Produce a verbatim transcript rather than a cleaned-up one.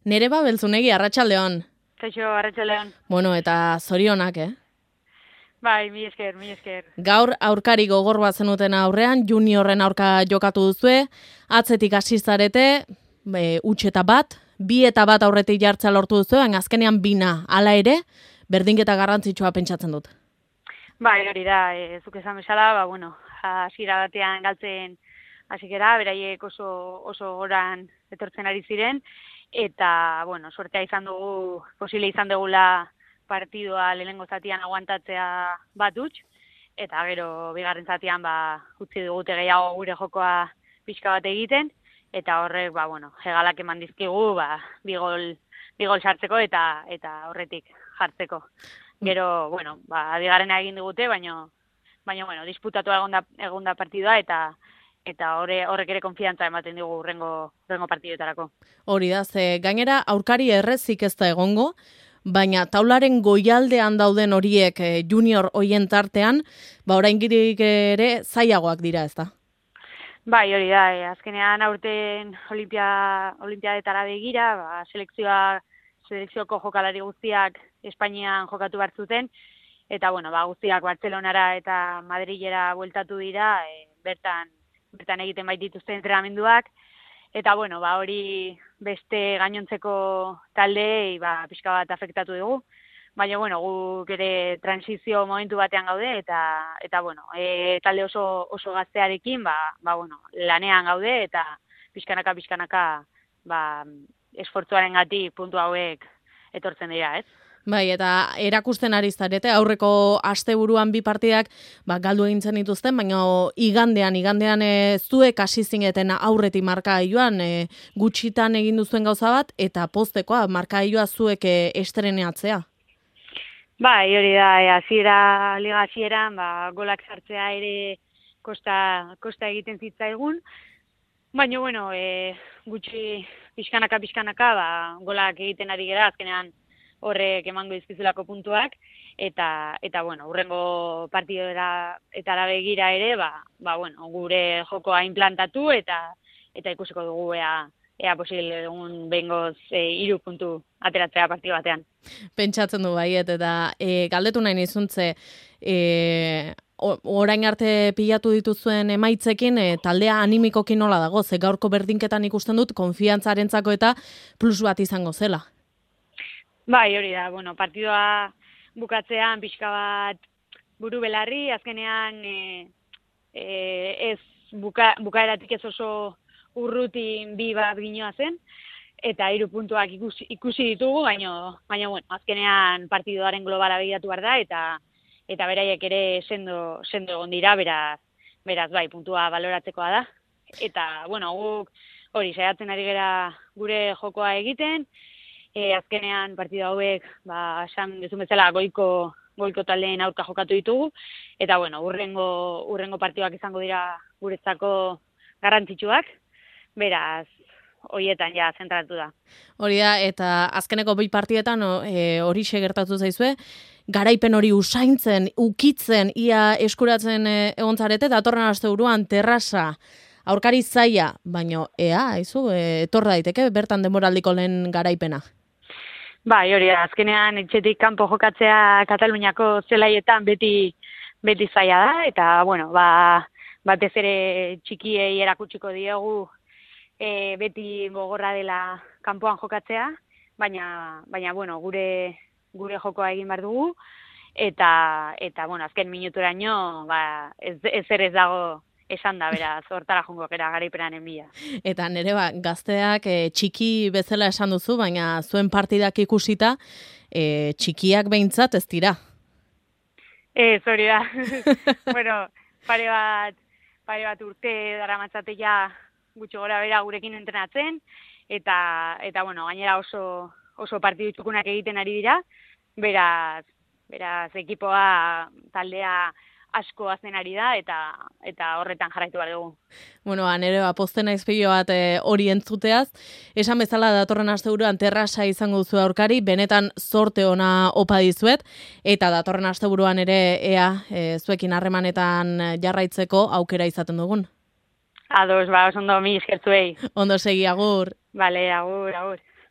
Nereba Beltzunegi, arratsaldeon. Kaixo, arratsaldeon. Bueno, eta zorionak, eh? Bai, mi esker, mi esker. Gaur aurkari gogor bat zenuten aurrean, juniorren aurka jokatu duzue, atzetik hasi zarete, e, huts eta bat, bi eta bat aurretik jartzea lortu duzu, baina azkenean bina, hala ere, berdinketa garrantzitsua pentsatzen dut. Bai, hori da, e, zuk esan bezala, ba, bueno, hasiera batean galtzen hasikera, beraiek oso, oso goran etortzen ari ziren, eta, bueno, suertea izan dugu, posible izan dugula partidua lehenengo zatian aguantatzea bat huts, eta gero bigarren zatian ba, utzi dugute gehiago gure jokoa pixka bat egiten, eta horrek, ba, bueno, hegalak eman dizkigu, ba, bigol, bigol sartzeko eta eta horretik jartzeko. Gero, bueno, ba, bigarrena egin digute, baina, baina, bueno, disputatu egonda, egonda partidua, eta eta horre, horrek ere konfiantza ematen digu urrengo, urrengo partiduetarako. Hori da, ze gainera aurkari errezik ez da egongo, baina taularen goialdean dauden horiek junior hoien tartean, ba oraindik ere zailagoak dira, ezta? Bai, hori da, e, azkenean aurten olimpia, olimpiadetara begira, ba, selekzioa, selekzioko jokalari guztiak Espainian jokatu behar zuten, eta bueno, ba, guztiak Bartzelonara eta Madrilera bueltatu dira, e, bertan, bertan egiten baitituzten entrenamenduak, eta bueno, ba, hori beste gainontzeko taldeei ba, pixka bat afektatu dugu. Baina, bueno, guk ere transizio momentu batean gaude, eta, eta bueno, e, talde oso, oso gaztearekin, ba, ba, bueno, lanean gaude, eta pixkanaka, pixkanaka, ba, esfortzuaren gati puntu hauek etortzen dira, ez? Bai, eta erakusten ari zarete, aurreko asteburuan bi partidak ba, galdu egin zen dituzten, baina igandean, igandean e, zuek hasi zineten aurretik markagailuan e, gutxitan egin duzuen gauza bat, eta poztekoa markagailua zuek e, estreneatzea. Bai, hori da, e, hasiera liga hasieran, ba, golak sartzea ere kosta, kosta egiten zitzaigun, baina, bueno, e, gutxi pixkanaka, pixkanaka, ba, golak egiten ari gera, azkenean, horrek emango dizkizulako puntuak, eta, eta bueno, urrengo partidora eta begira ere, ba, ba, bueno, gure jokoa implantatu, eta eta ikusiko dugu ea, ea posible egun behingoz e, hiru puntu ateratzea partidu batean. Pentsatzen du baiet, eta e, galdetu nahi nizuntze, e, orain arte pilatu dituzuen emaitzekin, e, taldea animikokin nola dago, ze gaurko berdinketan ikusten dut, konfiantzarentzako eta plus bat izango zela. Bai, hori da, bueno, partidua bukatzean pixka bat buru belarri, azkenean e, e, ez buka, bukaeratik ez oso urrutin bi bat ginoa zen, eta hiru puntuak ikusi, ikusi ditugu, baina, baina bueno, azkenean partiduaren globala begiratu behar da, eta eta beraiek ere sendo, sendo egon dira, beraz, beraz bai, puntua baloratzekoa da. Eta, bueno, guk hori saiatzen ari gera gure jokoa egiten, E, azkenean partida hauek, ba, esan duzun bezala goiko, goiko taldeen aurka jokatu ditugu, eta bueno, urrengo, urrengo partiduak izango dira guretzako garrantzitsuak, beraz, horietan ja zentratu da. Hori da, eta azkeneko bi partietan e, hori gertatu zaizue, garaipen hori usaintzen, ukitzen, ia eskuratzen e, egon zarete, datorren asteburuan terrasa, aurkari zaila, baino ea, aizu, e, etor daiteke bertan denboraldiko lehen garaipena. Bai, hori da, azkenean etxetik kanpo jokatzea Kataluniako zelaietan beti beti zaila da, eta, bueno, ba, batez ere txikiei erakutsiko diegu e, beti gogorra dela kanpoan jokatzea, baina, baina bueno, gure gure jokoa egin behar dugu, eta, eta bueno, azken minuturaino, ba, ez, ez ere ez dago esan da, beraz, hortara jungo gara garaipenanen bila. Eta nere ba, gazteak e, txiki bezala esan duzu, baina zuen partidak ikusita, e, txikiak behintzat ez dira. Ez, hori da. Bueno, pare bat, pare bat urte dara matzatea gutxo gora bera gurekin entrenatzen, eta, eta bueno, gainera oso, oso partidu txukunak egiten ari dira, beraz, beraz, ekipoa, taldea, asko hazen ari da, eta eta horretan jarraitu behar dugu. Bueno, nere ba, pozten naiz pilo bat e, hori entzuteaz. Esan bezala datorren asteburuan terrasa izango duzu aurkari, benetan zorte ona opa dizuet, eta datorren asteburuan ere ea e, zuekin harremanetan jarraitzeko aukera izaten dugun. Ados, ba, oso ondo mi eskertzuei. Ondo segi, agur. Bale, agur, agur.